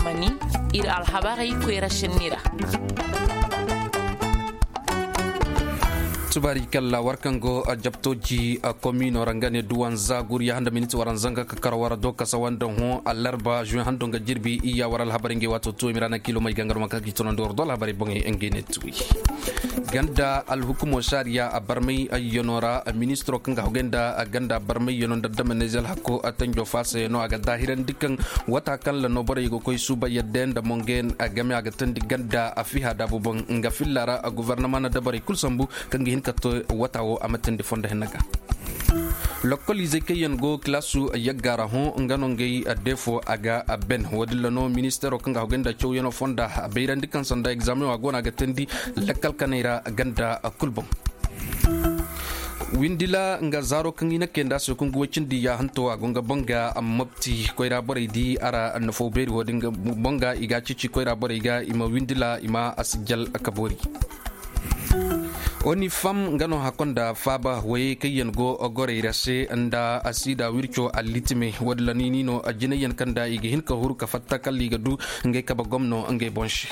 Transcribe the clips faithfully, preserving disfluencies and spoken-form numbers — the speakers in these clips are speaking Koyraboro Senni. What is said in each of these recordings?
Mani, ir alhabarey koyra senni ra. Subaari kalla war kaŋ go jabtooji komiino ra nga ne duwanza guriya handa miniti waranza nga ka kar war do kasa wanda hõ alarba juwe hando nga jirbi iyya war alhabarey ngey waato tuwey mira na kiilo may gangar ma kaŋ ka i tunandi war do alhabarey boŋey ngey ne tuwi. Ganda alhukumo saariya a barmay ayyano ra ministiro kaŋ ga hogay nda ganda barmay yano nda dama nezel hakko a tanjo faasa yano a ga daahirandi kaŋ wata kaŋ la no borey ga koy suuba yadda yaŋ nda monge yaŋ a game a ga tandi ganda a fiha daabu boŋ nga filla ra. Gobornoma na dabarey kulu sambu kaŋ ga hin ka to wata wo a ma tandi fondo henna ga. Lokkol izey kaŋ yaŋ go kilaasu yagga ra hõ nga no ngey deefo a ga ben wo- din ra no ministeero kaŋ ga hogay nda cawyaŋo fonda a bayrandi kaŋ sanda egzaameŋo a go no a ga teendi lakkal kanay ra ganda kul boŋ. Windila nga zaaro kaŋ i na kay nd'a se kungu woy cindi yaahanto a go nga boŋ ga mopti koyra borey di a ra nafo beeri wo- din ga boŋ ga i ga a ceeci koyra borey ga i ma windila i ma a sijjal ka boori. Onifam nga no hakko nda faaba woyey kaŋ yaŋ go gorey ra se nda asiida wirco allitime wo- din ra no i n'i no jinay yaŋ kaŋ nda i ga hin ka huru ka fatta kala i ga du ngey kabe gomno ngey boŋ se.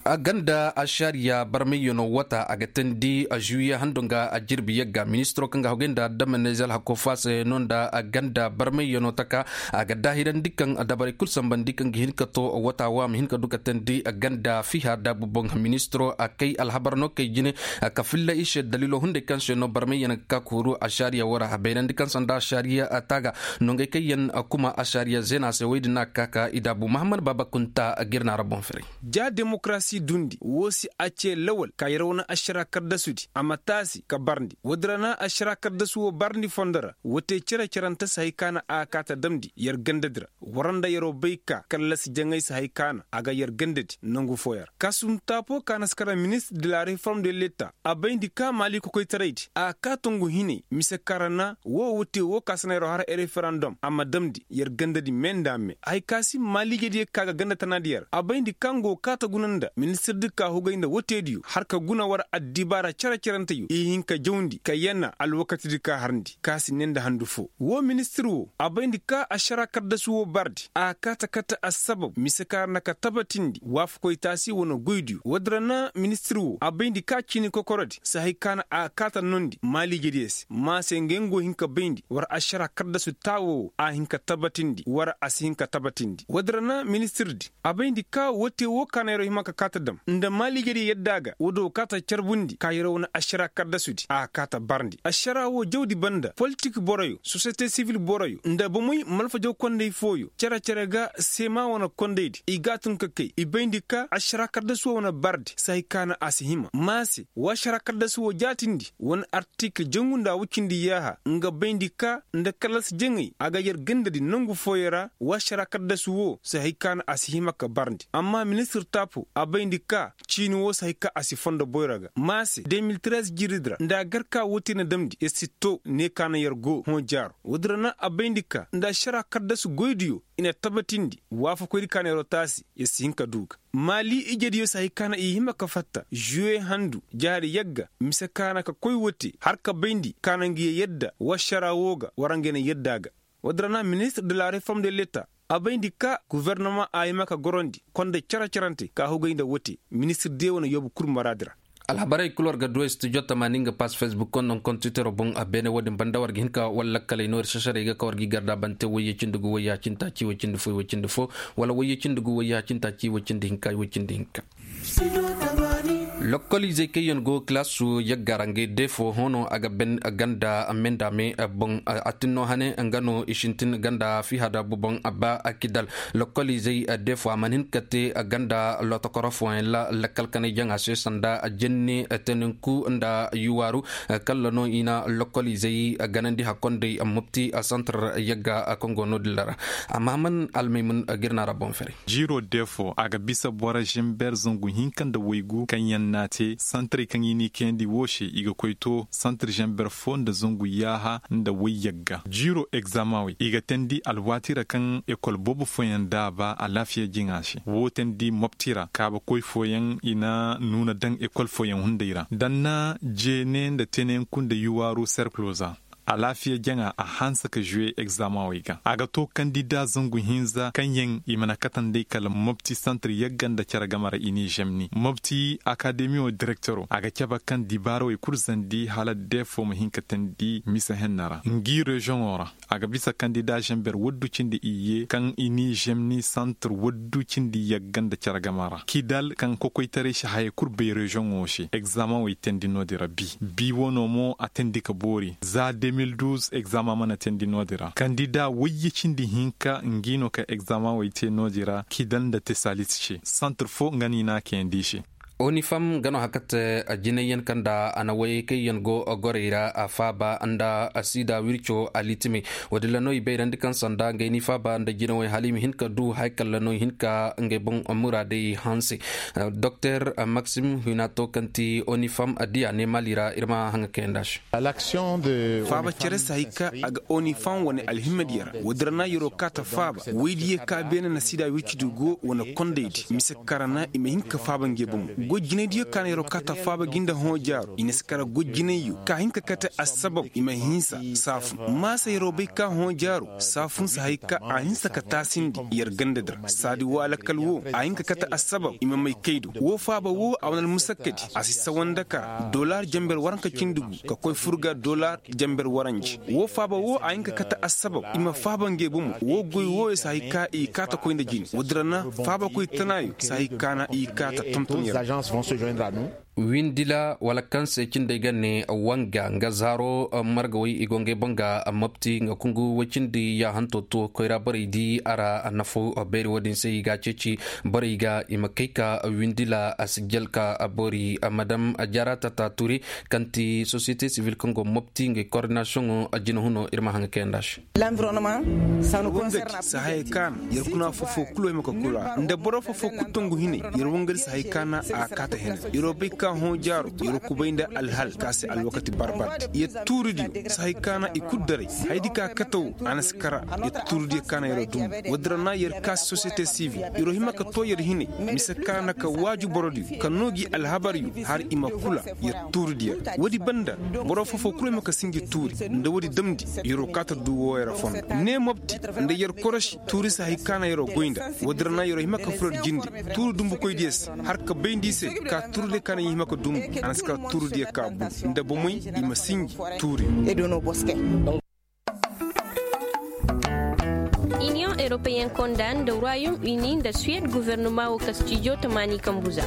A ganda ašariya barmayyaŋo wata a ga teendi a žuwiye hando nga a jirbi yagga ministiro kaŋ ga hogay nda adama nezel hakko faasa yaŋo nda a ganda barmayyaŋo taka a ga daahirandi kaŋ dabarey kul sambandi kaŋ ga hin ka to wata wo a ma hin ka du ka teendi ganda fiha daabu boŋ ministiro a kay alhabar no kay jine ka filla i se daliilo hunday kaŋ se no barmayyaŋ ga ka kooru ašariya wo ra a bayrandi kaŋ sanda ašariya taaga nongey kaŋ yaŋ kuma ašariya zeena se woy din no a ga ka ka i daabu mahammad baaba kunta ga ir na ra boŋ firay. Ja demokarasi dundi wo si a ce lawal ka yer wane ašara kardasudi a ma taasi ka barndi wo- din ra na ašara kardasu wo barndi fondo ra wo te cere-cerante si hay ka na a ga ka ta damndi yer gandadi ra. War nda yeroo bay ka kallasi jaŋay si hay ka na a ga yer gandadi nangu fooyaŋ ra kasum taapoo ka na si kara ministir de la reform de leta a bayndi ka maali kokoytaraydi a ga ka tongu hinay mise ka ra na wo wo te wo ka si na yeroo har referandom a ma damndi yer gandadi me nda me hay ka si maaliijediyo ka ga ganda tanaadi yer a bayndi ka nga wo kaata guna nda ministirdi ka hugay nda woteediyo har ka guna war addibaara cere-ceranteyo i hin ka jawndi ka yana alwakatidi ka harndi ka si ne nda handu foo woo ministir woo a bayndi ka ašaraa kardasu woo bardi a kaata kate assabab mise ka ra na ka tabatindi waafakoy taasi wane goydiyo woodi ra na ministir woo a bayndi ka ciini kokorodi si hay ka na a kaata nondi maaliijediyo se ma se ngey nga go hin ka bayndi war ašaraa kardasu taawoo woo a hin ka tabatindi war a si hin ka tabatindi woodi ra na ministirdi a bayndi ka woo te woo ka na yeroo hima ka kaata dam nda maaliijediyo yadda ga woodi woo kaata carbundi ka yeroo wane ašaraa kardasudi a kaata barndi ašaraa woo jawdi banda politik boroyo sosiyete sibil boroyo nda bomoy malfajaw konday fooyo cere-cere ga seema wane kondaydi i ga a tun ka kay i bayndi ka ašaraa kardasu woo wane bardi si hay ka na a si hima ma se woo ašaraa kardasu woo jaatindi wane artikil jangu nda a wucindi yaaha nga bayndi ka nda kallas jaŋay a ga yer gandadi nangu fooyo ra woo ašaraa kardasu woo si hay ka na a si hima ka barndi amma ministir taapo a bayndi ka ciini woo si hay ka a si fondo boyro ga ma se de mil trez jiiridi ra nda a gar ka woo te na damndi yer si too ne ka na yer go hõ jaaro woodi ra na a bayndi ka nda ašaraa kardasu goydiyo i na tabatindi waafakoydi ka na yeroo taasi yer si hin ka duu ga maali ijediyo si hay ka na i hima ka fatta žuwe handu jaari yagga mise ka na ka koy woo te har ka bayndi ka na nga yee yadda woo ašaraa woo ga war nga na yadda ga woodi ra na ministir de la reform de leta a bayndi ka gofornoma a hima ka gorandi konday cere-cerante ka hugay nda woo te ministir de wane yoobu kul maraadi ra alhabarey kul war ga du studio tamaani nga pass facebook kondoŋ kontitoroo boŋ a beene woo din banda war ga hin ka war lakkaley no ir sasaray ga ka war ga i garda bante wayye cindi gu wayya cintaaci way cindi fo way cindi fo wala wayye cindi gu wayya cintaaci way cindi hinka way cindi hinka lokkol izey kaŋ yaŋ go kilaasu yagga ra ngey deefo hõ no a ga ben ganda me nda me boŋ a tinno hane nga no i sintin ganda fiha daabu boŋ abba kidal lokkol izey deefo a mana hin ka te ganda lotokoro fooyaŋ ra lakkal kanay jaŋa se sanda jenne teninku nda yuwaaru kalla no i na lokkol izey ganandi hakkonday mopti santar yagga kaŋ go no-din ra amma man almaymun ga ir na ra boŋ fere jiiroo deefo a ga bisa boro ženber zangu hinka nda waygu kaŋ yaŋ n'a te santaray kaŋ i n'i kayandi woo se i ga koy to santar ženber fo nda zangu yaaha nda wayyagga jiiroo egzamawey i ga teendi alwaati ra kaŋ ekol boobo fooyaŋ daaba alaafiya jiŋa se woo teendi mopti ra kaabakoy fooyaŋ i na nuuna daŋ ekol fooyaŋ hunday ra danna jeene nda tenenku nda yuwaaru serkilo za Alaafiya jaŋa a hanse ka žuwe egzamaŋ wey ga a ga to kandida zangu hinza kaŋ yaŋ i mana kate nd'ey kala mopti santir yagga nda cere game ra i n'i žemni mopti akademiyo direktero a ga cabe kaŋ dibaara wey kul zandi hala deefo ma hin ka teendi mise henna ra ngi reziyoŋo ra. A ga bisa kandida žember waddu cindi iyye kaŋ i n'i žemni santir waddu cindi yagga nda cere game ra kidal kaŋ kokoytaray si hayey kul bay reziyoŋo se egzamaŋ wey teendi no-din ra bi. Bi wano mo a teendi ka boori za de mil duuz egzama mana teendi no-din ra kandida wayye cindi hinka ngi no ka egzama wey te no-din ra kidal nda tesalis se santir fo nga no i n'a kayandi i se. Onifam nga no haka te jinayyaŋ kaŋ nda a na wayey kaŋ yaŋ go gorey ra a faaba nda sida wirco alitimey. Wo- din ra no i bayrandi kaŋ sanda ngey n'i faaba nda jinawey hala i ma hin ka du haya kalla no i hin ka ngey boŋ muraadey hanse. Doktor maksim hinato kaŋ ti onifam diya ne mali ra ir ma haŋa kayandi a se. Faaba cere se hay ka a ga onifam wane alhimmadiya ra wo- din ra na yer'o ka ta faaba woydiyo ka beene na sida wircidi go wane kondaydi mise kaŋ ra na i ma hin ka faaba ngey bomo. Goy jinaydiyo ka na yer'o ka ta faaba gi nda hõ jaaro i na si kara goy jinayyo ka hin ka kate assabab i ma hinsa saafun maasa yer'o bay ka hõ jaaro saafun se hay ka a hinsa ka taasindi yer gandadi ra saadi woo alakal woo a hin ka kate assabab i ma may kay do woo faaba woo a wane almusakkadi a si sawa nda kara dolar jamber waranka cindi gu ka koy fur ga dolar jamber waranje woo faaba woo a hin ka kate assabab i ma faaba ngey bomo woo goy wooyo se hay ka i kaata koy nda jine woodin ra na faabakoy tanaayo se hay ka na i kaata tonton yer. Windila wala kaŋ se cindey ga ne wanga nga zaaro margawey i go ngey boŋ ga mopti nga kungu woy cindi yaahanto to koyra borey di a ra nafo beeri woodin se i ga a ceeci borey ga i ma kay ka windila a si jel ka boori madam jaara tata ture kaŋ ti sosiyete sivil kaŋ go mopti ngey koordinasiyoŋo jinahunoo ir ma haŋ kayandi a se. Wangadi si haya kaana yer kuna fofo kulu ay ma ka kula nda boro fofo kulu tongu hinay yer wangadi si haya kaana a kaata hene yeroo bay ka hõ jaaro yeroo kubay nda alhal ka se alwakati barbardi yer tuuridiyo si haya kaana i kulu daray hayadi ka kataw a na si kara yer tuuridiyo kaana yeroo dumbu woodin ra na yer ka si sosiyete sivil yeroo hima ka too yer hinay mise kaana ka waaju borodiyo ka noo gi alhabaryo har i ma kula yer tuuridiyo ra woodi banda boro fofo kulu ay ma ka sinji tuuri nda woodi damndi yeroo kaata duu wooyo ra fondo ne mopti nda yer korosi tuuri se hay kaana yeroo goy nda woodin ra na yeroo hima ka furo yer jinde tuuri dumbukoydiyo se har ka bayndi i se ka tuuridiyo kaana yer hima ka dumbu a na si kara tuuridiyo ka bun nda bomey i ma sinji tuuri. Iniyoŋ europeyen konda nda royom uni nda suwed guvernuma wo ka stijo tamaani kambu za.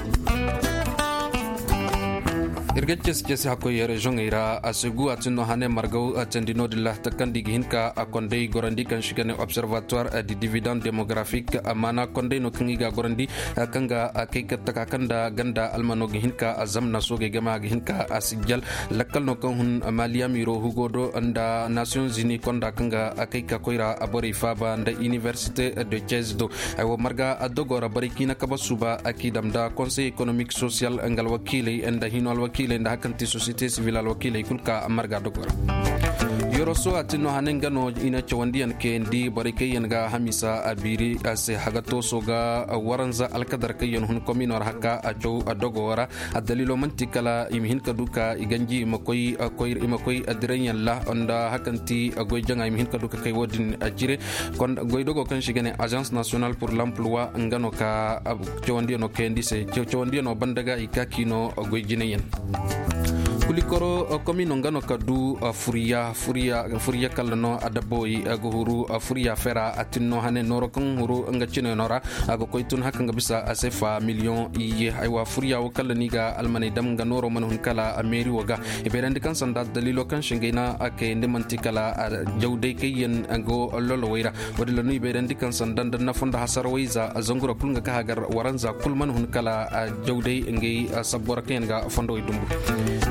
Ir ga cesi cesi hakkoy reziyoŋey ra a si gu a tin no hane margaw teendi no-din ra takandi ga hin ka a konday gorandi kaŋ si ga ne observatoire di dividend demografik maana konday no kaŋ i ga a gorandi kaŋ ga a kay ka taka kaŋ nda ganda almano ga hin ka a zamna soogey game a ga hin ka a sijjal lakkal no kaŋ hun maliyamiro hugo do nda nasiyoŋ zini konda kaŋ ga a kay ka koyra borey faaba nda iniversite de cez do. Aywa marga a dogo ra borey kaŋ i na kaba suuba a k'i dam nda konsey ekonomik sosiyal nga alwakiiley nda hino alwakiiley nda hari kaŋ ti sosiyete sivil alwakiiley kul ka marga dogo ra. Yoroso a tin no hane nga no i na cawandiyaŋ kayandi borey kaŋ yaŋ ga hamiisa a biiri a se haga tooso ga waranza alkadar kaŋ yaŋ hun komino ra haka a caw a dogo ra. Addaliilo man'ti kala i ma hin ka du ka i ganji i ma koy koy i ma koy addiranyaŋ ra nda hari kaŋ ti goy jaŋa i ma hin ka du ka kay wo-din a cire. Goy dogo kaŋ se i ga ne agence national pour l'emploi nga no ka cawandiyaŋo kayandi se cawandiyaŋo banda ga i ka k'i no goy jinayaŋ. Kulikoro komino nga no ka du furiya furiya kalla no adabawey ga huru furiya fera a tin no hane nooro kaŋ huru nga cinayno ra a ga koy tun hari kaŋ ga bisa a se fa miliyoŋ iyye aywa furiya wo kalla ni ga almaney dam nga nooro mana hun kala meeri wo ga i bayrandi kaŋ sanda daliilo kaŋ se ngey na a kayandi man'ti kala jawday kaŋ yaŋ go lolowey ra. Wo-din ra no i bayrandi kaŋ sanda nda nafa nda hasarawey za zangura kul nga ka hagar waranza kul mana hun kala jawday ngey sabbo ra kaŋ yaŋ ga fondowey dumbu.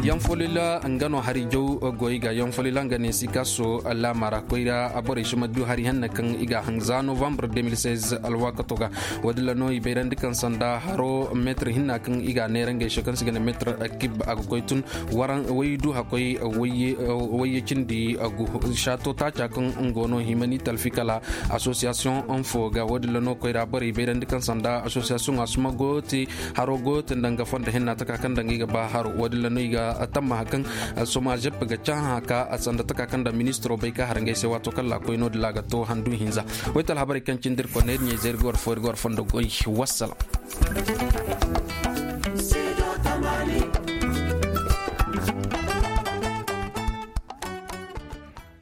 Yanfolila nga no hari jaw goy ga yanfolila nga ne sikaso laama ra koyra borey si ma du hari hanna kaŋ i ga a haŋ za novembre deux mille seize alwaakato ga. Wo-din ra no i bayrandi kaŋ sanda haro meetir hinna kaŋ i ga a neera ngey se kaŋ se i ga ne meetir kib a ga koy tun waydu hakkoy wayye cindi gu saato taaca kaŋ nga no himani talfi kala asosiyasiyoŋ fo ga wo-din ra no koyra borey bayrandi kaŋ sanda asosiyasiyoŋ a suma goyo te haro goyo te nda nga fondo henna taka kaŋ nda nga i ga ba haro wo-din ra no i ga tamma hakan. Soma zep ga cahã ka sanda taka kaŋ da ministiro bay ka har ngey se waato kaŋ ra koy no- din ra ga to handu hinza. Waytal habarey kaŋ cindi ir konney ir ɲey zay ir ga war fo ir ga war fondo goy. Wassalam.